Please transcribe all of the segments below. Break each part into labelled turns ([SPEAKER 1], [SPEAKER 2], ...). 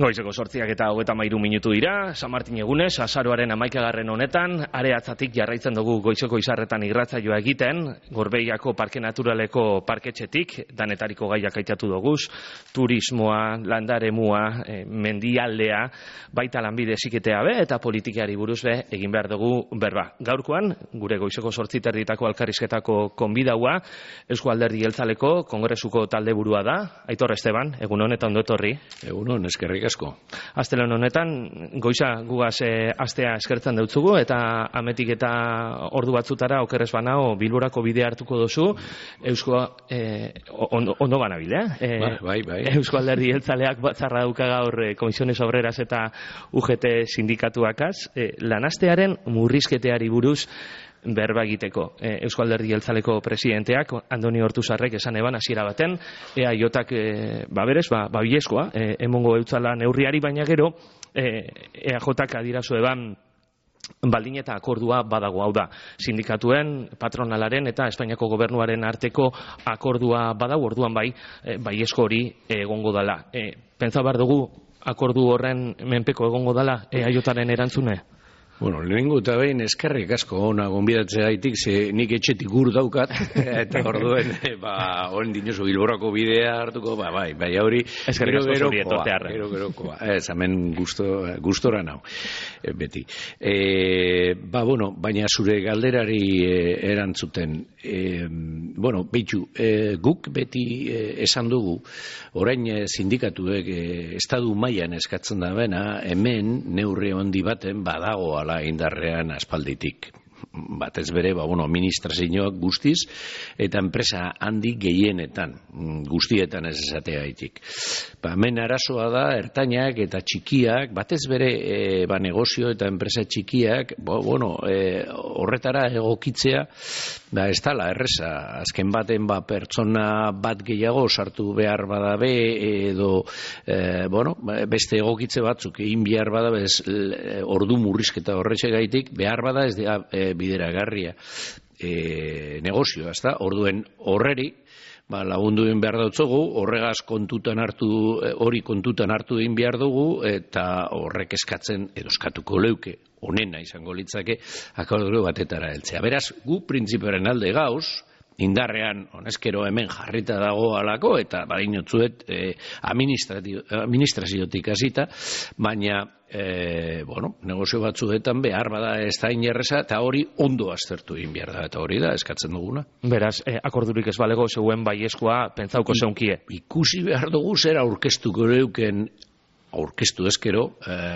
[SPEAKER 1] Goizeko 8:33 dira, San Martin egunez, azaroaren 11. honetan, areatzatik jarraitzen dugu goizeko izarretan irratsaioa egiten, Gorbeiako Parke Naturaleko parketxetik, danetariko gaiak aitatu doguz, turismoa, landaremua, mendialdea, baita lanbide heziketea be, eta politikari buruz be, egin behar dugu berba. Gaurkoan, gure goizeko 8:30 alkarrizketako konbidaua, Eusko Alderdi Jeltzaleko Kongresuko taldeburua da, Aitor Esteban, egun honetan ondo etorri.
[SPEAKER 2] Egunon, eskerrik asko.
[SPEAKER 1] Astelehen honetan, goiza gugaz astea eskertzen deutzugu, eta ametik eta ordu batzutara okerrez banao Bilborako bidea hartuko dozu, ondo banabile,
[SPEAKER 2] Bai.
[SPEAKER 1] Eusko Alderdi Jeltzaleak batzarra dauka gaur Komisiones Obreras eta UGT sindikatuakaz, lanastearen murrizketeari buruz berba egiteko. Eusko Alderdi Jeltzaleko presidenteak, Andoni Ortuzarrek esan eban hasiera baten, EAJak bilezkoa, emongo eutzala neurriari, baina gero, EAJak adirazu eban baldin eta akordua badago, hau da, sindikatuen, patronalaren eta Espainiako gobernuaren arteko akordua badago, orduan baiezko hori egongo dala. Pentsa behar dugu akordu horren menpeko egongo dala EAJaren erantzune?
[SPEAKER 2] Bueno, lehenengo eta behin eskerrik asko ona gonbidatzea gaitik, ze nik etxetik gur daukat, eta orduen, oen dinosu Bilborako bidea hartuko, bai, hori, gerokoa, ez, hemen gustora nau, beti. Baina zure galderari erantzuten, behitu, guk beti esan dugu, orain sindikatuek estadu mailan eskatzen da bena, hemen neurri handi baten badagoala indarrean aspalditik. Batez bere, administrazioak guztiz, eta enpresa handi gehienetan, guztietan ez esateagaitik. Hemen arazoa da, ertainak eta txikiak, batez bere, negozio eta enpresa txikiak, horretara egokitzea, ez dala, erreza, azken baten pertsona bat gehiago sartu behar badabe, edo, beste egokitze batzuk egin behar badabe, ordu murrizketa horretxegaitik, behar bada ez da bideragarria negozioa, ezta? Orduen horreri lagunduen behar dautzogu, horregaz hori kontutan hartu egin behar dugu, eta horrek eskatzen edo eskatuko leuke, onena izango litzake, akordio batetara heltzea. Beraz, gu printzipioaren alde gauz, indarrean, honezkero hemen jarrita dago alako, eta badinotzuet administraziotik hasita, baina negozio batzuetan behar bada ez da inerreza, eta hori ondo aztertu egin behar da, eta hori da eskatzen duguna.
[SPEAKER 1] Beraz, akordurik ez balego zeuen baiezkoa pentsauko zeunkie.
[SPEAKER 2] Ikusi behar dugu zer aurkeztuko leuken aurkeztu ezkero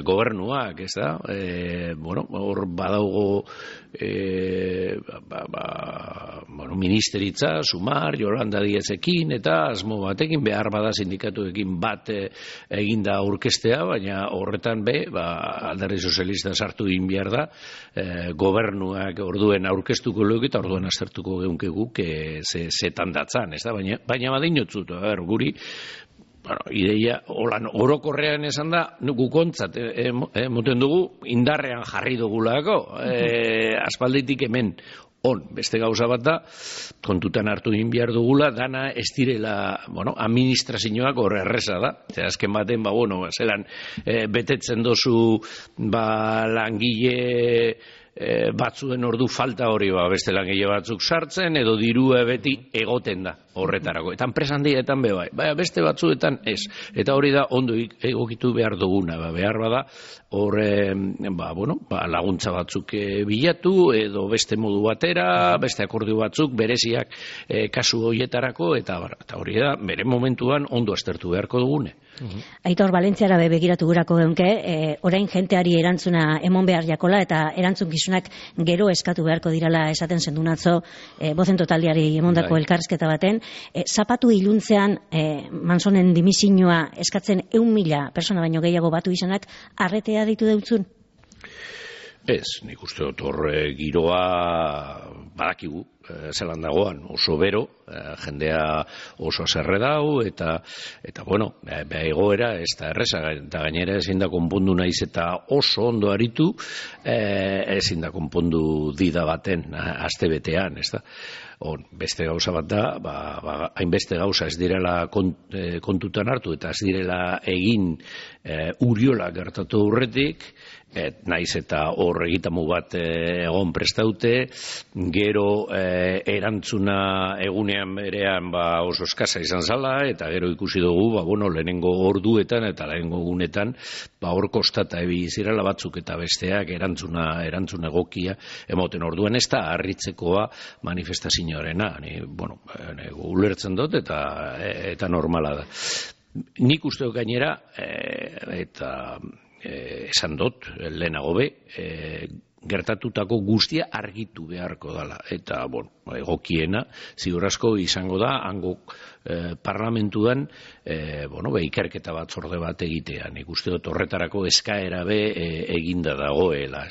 [SPEAKER 2] gobernuak, ez da? Hor badaugo ministeritza, Sumar, Yolanda Díezekin, eta asmo batekin, behar bada sindikatuekin bat eginda aurkeztea, baina horretan Alderdi Sozialista sartu egin behar da, gobernuak orduen aurkeztuko leuke, eta orduen aztertuko geunkeguk zetan datzan, ez da? Baina badinotzut, guri, ideia, orokorrean esan da, gukontzat, moten dugu, indarrean jarri dugulako, aspalditik hemen, beste gauza bat da, kontutan hartu egin behar dugula, dana ez direla, administrazioak horre erreza da, azken baten, zelan, betetzen dozu, langile, batzuen ordu falta hori beste langile batzuk sartzen, edo dirua beti egoten da horretarako. Eta enpresa handietan beste batzuetan ez. Eta hori da ondo egokitu behar duguna. Behar bada laguntza batzuk bilatu, edo beste modu batera, beste akordio batzuk, bereziak kasu horietarako, eta hori da bere momentuan ondo aztertu beharko dugune.
[SPEAKER 3] Aitor, Valentziara begiratu gurako geunke, orain jenteari erantzuna emon behar jakola, eta erantzunkizunak gero eskatu beharko dirala esaten zendunatzo, bozen totaldiari emondako elkarrizketa baten, zapatu iluntzean Mansonen dimisioa eskatzen 1.000 persona baino gehiago batu izanak, arretea ditu deutzun?
[SPEAKER 2] Ez, nik uste dut horre giroa badakigu, zelan dagoan, oso bero, jendea oso zerre dau, eta bueno, egoera ez da erreza, eta gainera ezin da konpondu naiz eta oso ondo aritu, ezin da konpondu dida baten, aste betean, ez da. Beste gauza bat da, hainbeste gauza ez direla kontutan hartu eta ez direla egin Uriola gertatu aurretik, naiz eta hor egitamu bat egon prestaute, gero erantzuna egunean berean oso eskasa izan zala, eta gero ikusi dugu, lehenengo orduetan eta lehenengo egunetan, hor kostata ebili zirela batzuk eta besteak erantzuna egokia emoten orduan ez da harritzekoa manifestazioarena, ulertzen dut eta normala da. Nik uste dut gainera, eta esan dut, lehenago gertatutako guztia argitu beharko dela. Eta, egokiena, ziur asko izango da, hango parlamentuan, ikerketa batzorde bat egitea. Nik uste dut horretarako eskaera eginda dagoela.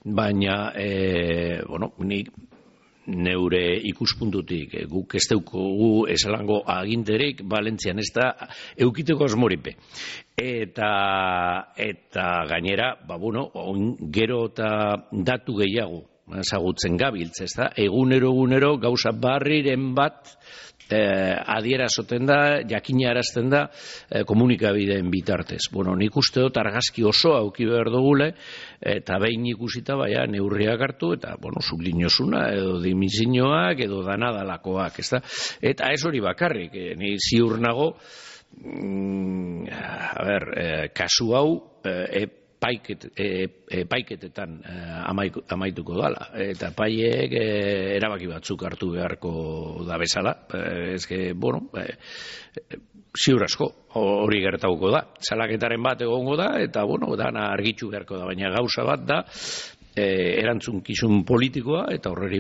[SPEAKER 2] Baina, nik neure ikuspuntutik guk ez daukagu esalango aginterik Valentzian ez da eukiteko asmoripe. Eta gainera, gero eta datu gehiago ezagutzen gabiltz, ez da? Egunero gauza barriren bat adierazoten da, jakinarazten da komunikabideen bitartez. Nik uste dut argazki oso auki behar dugule, eta behin ikusita neurriak hartu, eta sublinosuna, edo dimizinoak, edo danadalakoak, ez da? Eta ez hori bakarrik, ni ziur nago, kasu hau, epaiketetan amaituko dala. Eta epaiek erabaki batzuk hartu beharko da bezala. Ziur asko hori gertatuko da. Salaketaren bat egongo da, eta dana argitu beharko da. Baina gauza bat da, erantzunkizun politikoa, eta horreri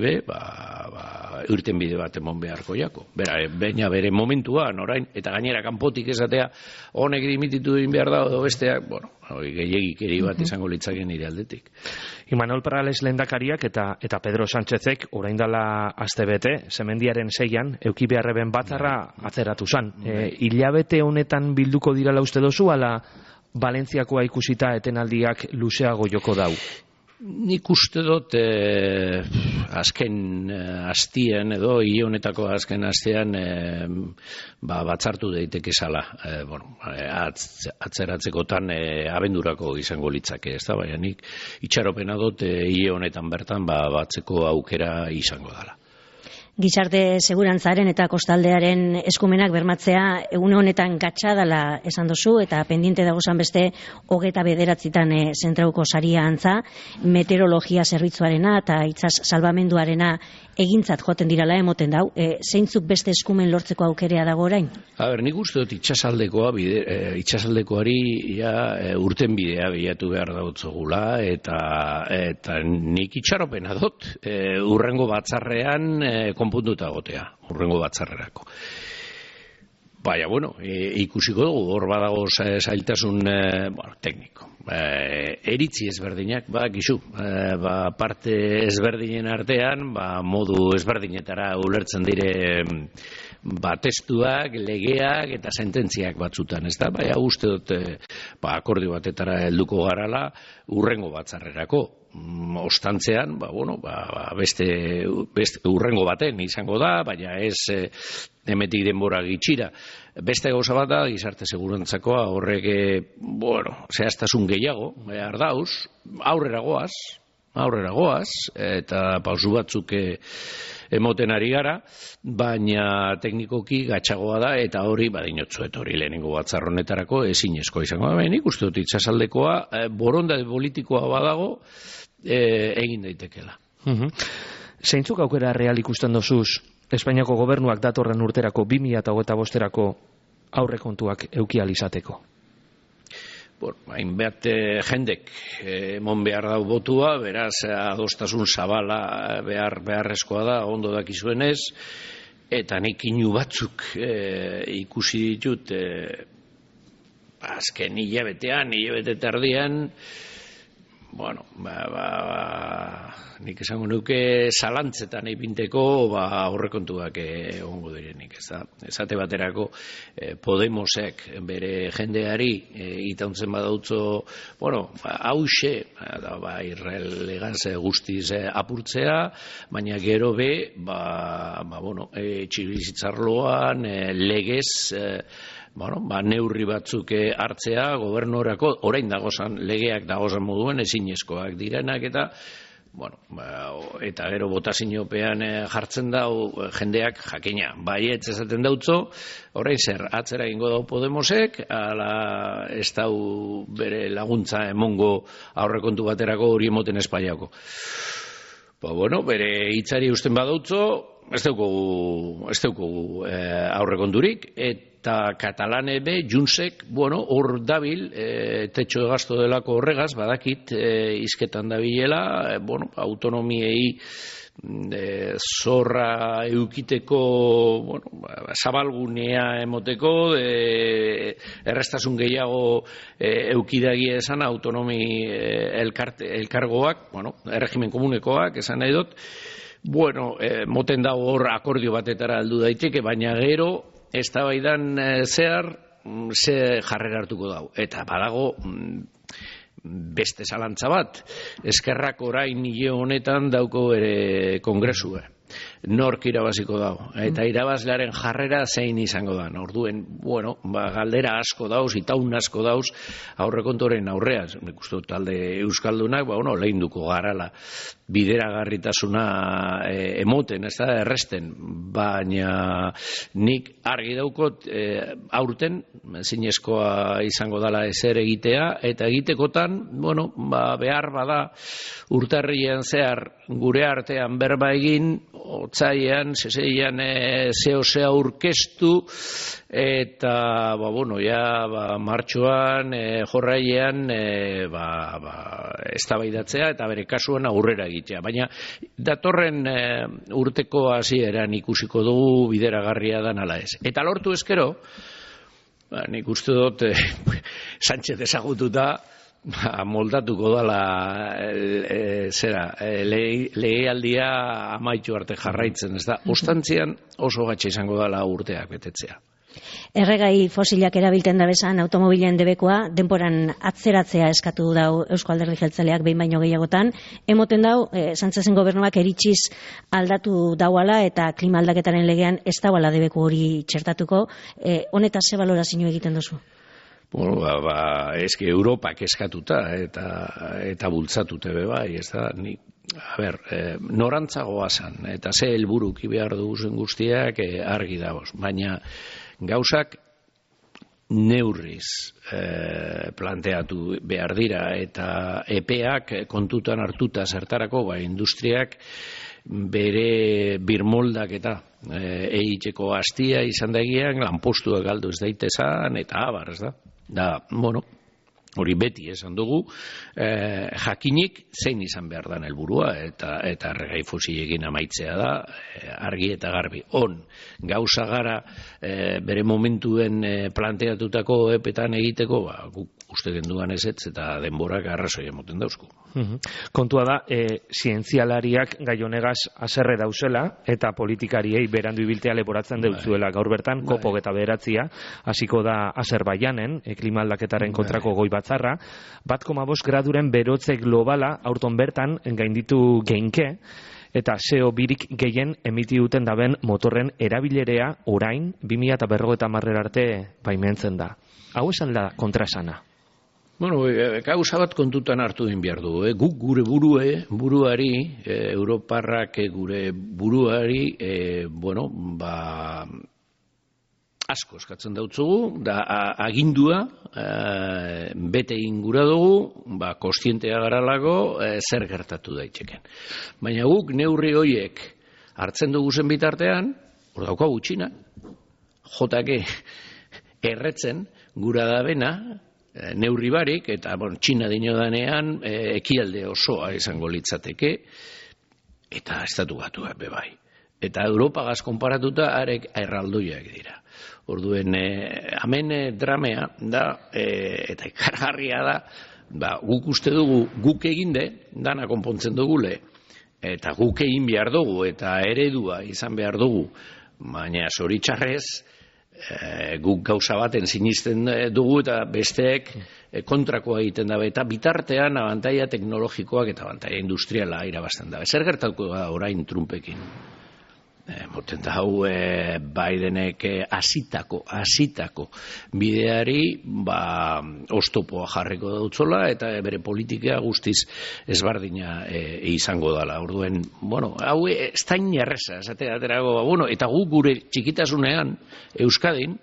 [SPEAKER 2] irten bide bat emon beharko jako. Baina bere momentuan, orain, eta gainera kanpotik esatea, honek dimititu egin behar da, edo besteak, gehiagikeri bat izango litzaken nire aldetik.
[SPEAKER 1] Imanol Perales lehendakariak eta Pedro Sánchezek orain dela astebete, Semendiaren 6an, euki beharreben batzarra atzeratu zan. Hilabete honetan bilduko dirala uste dozu, ala Valentziakoa ikusita etenaldiak luzeago joko dau?
[SPEAKER 2] Nik uste dut azken hastian edo hile honetako azken hastian batzartu daiteke zala. Atzeratzekotan abendurako izango litzake, ez da? Baina nik itxaropena dut hile honetan bertan batzeko aukera izango dela.
[SPEAKER 3] Gizarte segurantzaren eta kostaldearen eskumenak bermatzea egun honetan gatsa dela esan dozu, eta pendiente dagozan beste 29 zentrauko saria antza, meteorologia zerbitzuarena eta itsas salbamenduarena egintzat joten dirala emoten dau. Zeintzuk beste eskumen lortzeko aukerea dago orain?
[SPEAKER 2] Nik uste dut itsasaldekoari urten bidea bilatu behar dautzogula, eta nik itxaropena dut urrengo batzarrean konpuntuta gotea, urrengo batzarrerako. Baina, ikusiko dugu, hor badago zailtasun tekniko. Eritzi ezberdinak, gizu, parte ezberdinen artean, modu ezberdinetara ulertzen dire testuak, legeak eta sententziak batzutan, ez da? Baina uste dut, akordio batetara helduko garala, urrengo batzarrerako. Ostantzean, beste urrengo baten izango da, baina ez emetik denbora gitxira. Beste gauza bat da, gizarte segurantzakoa horrek, zehaztasun gehiago, behar dauz, aurrera goaz, eta pausu batzuk emoten ari gara, baina teknikoki gatsagoa da, eta hori badinotzuet hori lehenengo batzarronetarako ezinezko izango da. Nik uste dut itxasaldekoa, borondate politikoa badago, egin daitekela.
[SPEAKER 1] Zeintzuk aukera real ikusten dozuz Espainiako gobernuak datorren urterako 2025erako aurrekontuak euki alizateko?
[SPEAKER 2] Hainbat jendek emon behar dau botua, beraz adostasun zabala beharrezkoa da, ondo dakizuenez, eta nik inu batzuk ikusi ditut azken hilabete tardian, bueno, nik esango nuke zalantzetan ipinteko aurrekontuak egongo direnik, ez da. Esate baterako Podemosek bere jendeari itauntzen badautzo, bueno, hause, irrelegaz guztiz apurtzea, baina gero bueno, etxebizitzarloan legez, neurri batzuk hartzea gobernorako, orain dagozan legeak dagozan moduen ezinezkoak direnak eta eta gero botaziopean jartzen dau jendeak jakina. Baietz esaten dautzo, orain zer, atzera egingo dau Podemosek, ala ez dau bere laguntza emongo aurrekontu baterako hori emoten Espainiako. Bere hitzari usten badautzo, ez daukogu aurrekonturik, eta Katalane Juntsek, hor dabil, tetxo gasto delako horregaz, badakit, izketan dabilela, autonomiei zorra eukiteko, zabalgunea emoteko, errestasun gehiago eukidagia esan autonomi elkargoak, erregimen komunekoak esan nahi dut, moten dago hor akordio batetara aldu daiteke, baina gero eztabaidan zehar ze jarrera hartuko dau. Eta badago beste zalantza bat, Ezkerrak orain hile honetan dauko ere kongresua. Nork irabaziko dago. Eta irabazlearen jarrera zein izango da. Orduen, galdera asko dauz, itaun asko dauz, aurrekontoren aurrean. Nik uste talde euskaldunak, lehinduko garala bideragarritasuna emoten, ez da, erresten. Baina nik argi daukot aurten, zinezkoa izango dala ezer egitea, eta egitekotan, behar bada urtarrian zehar gure artean berba egin, otzaian, seseian zehosea aurkeztu, eta, martxoan, jorrailean, eztabaidatzea eta bere kasuan aurrera egitea. Baina, datorren urteko hasieran ikusiko dugu bideragarria dan ala ez. Eta lortu ezkero, nik uste dut, Sánchez ezagututa, moldatuko dala legealdia amaitu arte jarraitzen, ez da, ostantzian oso gatxe izango dala urteak betetzea.
[SPEAKER 3] Erregai fosilak erabilten da bezan automobilen debekoa, denporan atzeratzea eskatu dau Eusko Alderdi Jeltzaleak behin baino gehiagotan, emoten dau, Sánchezen gobernuak eritxiz aldatu dauala eta klima aldaketaren legean ez dauala debeku hori txertatuko, honetaz ze balorazio egiten duzu?
[SPEAKER 2] Eske Europak eskatuta eta bultzatute bai, ez da, norantzagoa zan, eta ze helburuki behar duguzen guztiak argi dagoz, baina gauzak neurriz planteatu behar dira, eta epeak kontutan hartuta zertarako, industriak bere birmoldak eta egiteko hastia izan dagian, lanpostuak galdu ez daitezan, eta abar, ez da? Hori beti esan dugu, jakinik zein izan behar dan helburua eta erregai fosilekin amaitzea da, argi eta garbi. Gauza gara bere momentuen planteatutako epetan egiteko, guk uste genduan ezetz eta denborak arrazoi emoten dauzku.
[SPEAKER 1] Kontua da, zientzialariak gai honegaz haserre dauzela eta politikariei berandu ibiltea leporatzen deutzuela. Gaur bertan, COP 29 hasiko da Azerbaijanen, klima aldaketaren kontrako goi batzarra, 1,5 graduren berotze globala aurton bertan gainditu geinke, eta CO2 gehien emiti duten daben motorren erabilerea orain 2050 arte baimentzen da. Hau esan da kontrasana.
[SPEAKER 2] Gauza bat kontutan hartu din behar du. Guk gure buruari, Europarrak gure buruari, asko eskatzen dautzugu, da agindua, bete ingura dugu, kostientea garalako, zer gertatu daiteken. Baina guk neurri horiek hartzen dugu zen bitartean, hor daukagu Txina, jotake erretzen gura da bena, neurri barik, eta Txina dinodanean ekialde osoa izango litzateke, eta estatu batuak bebai. Eta Europagaz konparatuta arek erraldoiak dira. Orduen, hemen dramea da, eta ikargarria da, guk uste dugu guk eginde, dana konpontzen dugule, eta guk egin behar dugu, eta eredua izan behar dugu, baina zoritxarrez, guk gauza baten sinisten dugu, eta besteek kontrakoa egiten dabe, eta bitartean abantaia teknologikoak eta abantaia industriala irabazten dabe. Zer gertatuko da orain Trumpekin? Moten da hau Bidenek hasitako bideari oztopoa jarriko dautzola eta bere politika guztiz ezbardina izango dela. Orduen, hau ez da inerreza, aterago, eta gu gure txikitasunean Euskadin,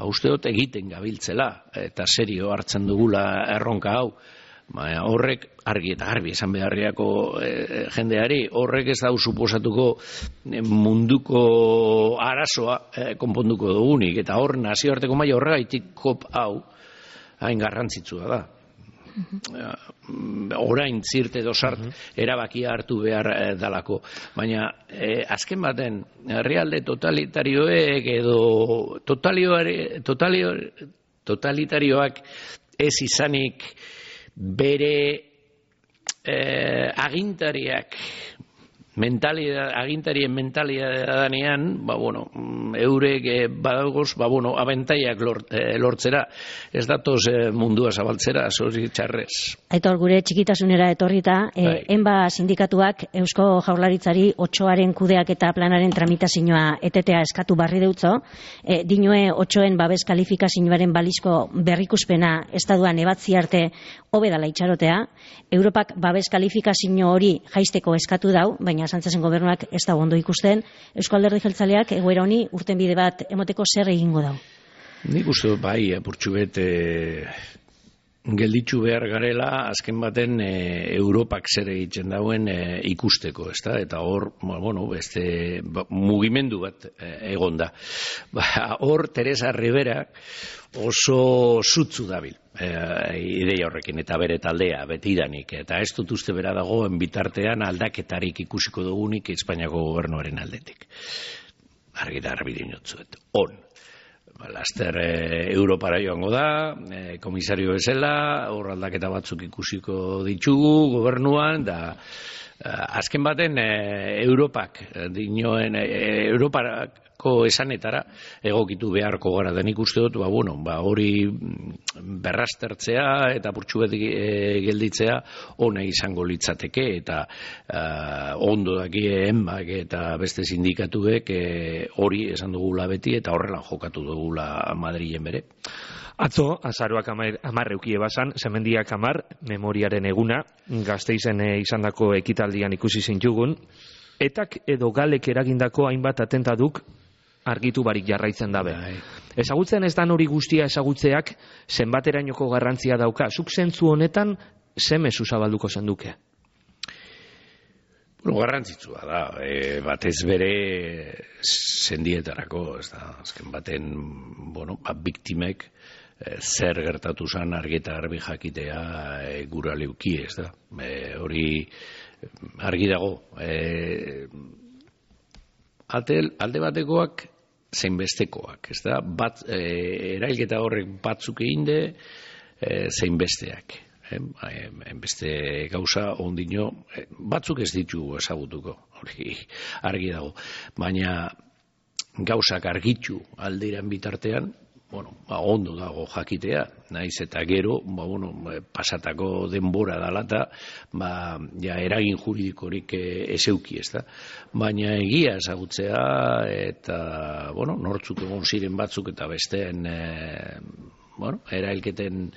[SPEAKER 2] uste dut egiten gabiltzela eta serio hartzen dugula erronka hau. Horrek argi eta garbi esan beharriako jendeari, horrek ez dau suposatuko munduko arazoa konponduko dugunik, eta hor nazioarteko maila horregaitik kop hau hain garrantzitsua da. Orain zirt edo sart erabakia hartu behar dalako, baina azken baten herrialde totalitarioek edo totalitarioak ez izanik bere agintarien mentalidadea danean, eurek badaugoz, abentaiak lortzera, ez datoz mundua zabaltzera, zoritxarrez.
[SPEAKER 3] Aitor, gure txikitasunera etorrita, enba sindikatuak Eusko Jaurlaritzari 8aren kudeak eta planaren tramitazioa etetea eskatu barri deutzo, dinue 8en babes kalifikazioaren balizko berrikuspena estaduan ebatzi arte hobedala itxarotea, Europak babes kalifikazio hori jaisteko eskatu dau, baina Sánchezen gobernuak ez da ondo ikusten. Eusko Alderdi Jeltzaleak egoera honi urtenbide bat emoteko zer egingo dau?
[SPEAKER 2] Nik uste apurtxu bet gelditzu behar garela, azken baten Europak zer egiten dauen ikusteko, ezta? Eta hor, beste mugimendu bat egon da. Hor, Teresa Rivera oso zutzu dabil ideia horrekin eta bere taldea betidanik, eta ez dut uste bera dagoen bitartean aldaketarik ikusiko dugunik Espainiako gobernuaren aldetik. Argi da argi dinotzuet. Laster Europara joango da, komisario bezala, hor aldaketa batzuk ikusiko ditugu gobernuan, da azken baten Europak dinoen Europarako esanetara egokitu beharko gara denik uste dut, hori berrastertzea eta purtsuet gelditzea ona izango litzateke, eta ondo dakien eta beste sindikatuek hori esan dugula beti eta horrela jokatu dugula Madrilen bere.
[SPEAKER 1] Atzo, azaroak 10 eukie basan, Semendiak 10, memoriaren eguna, Gasteizen izandako ekitaldian ikusi zintugun, etak edo galek eragindako hainbat atentaduk argitu barik jarraitzen dabe. Ezagutzen ez dan hori guztia ezagutzeak zenbaterainoko garrantzia dauka. Zuk zentzu honetan, ze mezu zabalduko zenduke?
[SPEAKER 2] Garrantzitsua da, batez bere sendietarako, ez da, azken baten, biktimek zer gertatu zan argi eta garbi jakitea gura leuki, ez da. Hori argi dago. Alde batekoak zein bestekoak, ez da, erailketa horrek batzuk eginde, zein besteak. Beste gauza ondino, batzuk ez ditugu ezagutuko, hori argi dago. Baina gauzak argitu alderan bitartean, ondo dago jakitea, naiz eta gero, pasatako denbora dalata, eragin juridikorik ezeuki, ez da. Baina egia ezagutzea, eta, nortzuk egon ziren batzuk, eta besteen, erailketen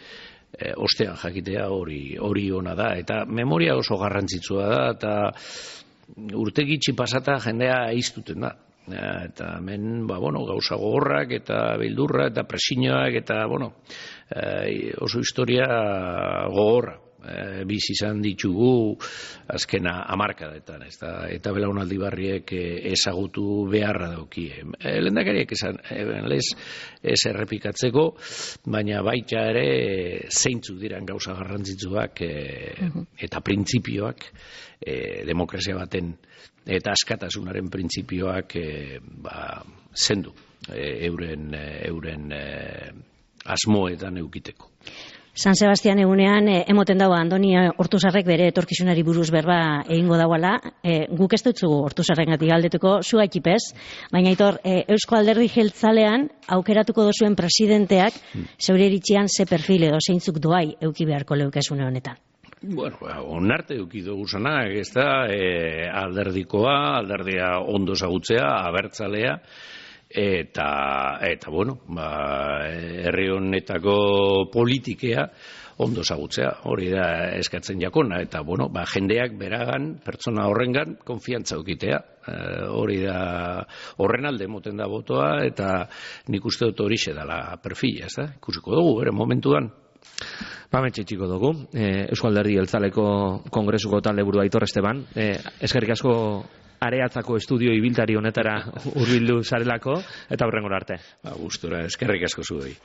[SPEAKER 2] ostean jakitea hori ona da. Eta memoria oso garrantzitsua da, eta urte gitxi pasata jendea iztuten da. Eta hemen, gauza gogorrak eta beldurra eta presioak eta, oso historia gogorra. Bizi izan ditugu azkena hamarkadetan, eta belaunaldi barriek ezagutu beharra daukie. Lehendakariak esan, ez errepikatzeko, baina baita ere zeintzuk diran gauza garrantzitsuak eta printzipioak demokrazia baten eta askatasunaren printzipioak zendu euren asmoetan eukiteko.
[SPEAKER 3] San Sebastian egunean emoten dago Andoni Ortuzarrek bere etorkizunari buruz berba egingo dauala. Guk ez dutzugu Ortuzarrengatik galdetuko, zu gaitipez, baina Aitor, Eusko Alderdi Jeltzalean aukeratuko dozuen presidenteak zeure iritzian ze perfil edo zeintzuk doai euki beharko leukezune honetan.
[SPEAKER 2] Bueno, onarte eduki dugu zanak, ez da, alderdia ondo zagutzea, abertzalea, eta bueno, herri honetako politikea ondo zagutzea, hori da eskatzen jakona, eta bueno, jendeak beragan, pertsona horrengan, konfiantza eukitea, hori da horren alde moten da botoa, eta nik uste dut horixe dela perfila, ez da, ikusiko dugu, bere momentuan.
[SPEAKER 1] Bametxe txiko dugu, Eusko Alderdi Jeltzaleko Kongresuko taleburu Aitor Esteban, eskerrik asko Areatzako estudio ibiltari honetara hurbildu zarelako, eta hurrengora arte.
[SPEAKER 2] Gustura, eskerrik asko zuei.